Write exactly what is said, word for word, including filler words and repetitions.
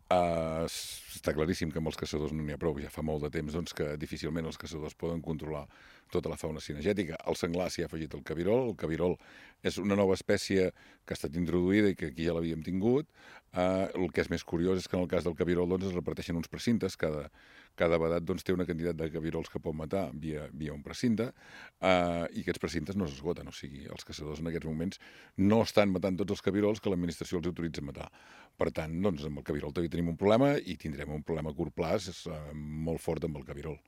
Uh, està claríssim que amb els caçadors no n'hi ha prou. Ja fa molt de temps doncs, que difícilment els caçadors poden controlar tota la fauna cinegètica. El senglar s'hi ha afegit el cabirol. El cabirol és una nova espècie que ha estat introduïda i que aquí ja l'havíem tingut. Uh, el que és més curiós és que en el cas del cabirol doncs, es reparteixen uns precintes. Cada, cada vedat doncs, té una quantitat de cabirols que pot matar via, via un precinte uh, i aquests precintes no s'esgoten. O sigui, els caçadors en aquests moments no estan matant tots els cabirols que l'administració els autoritza a matar. Per tant, doncs, amb el cabirol també tenim un problema i tindrem un problema a curt plaç eh, molt fort amb el cabirol.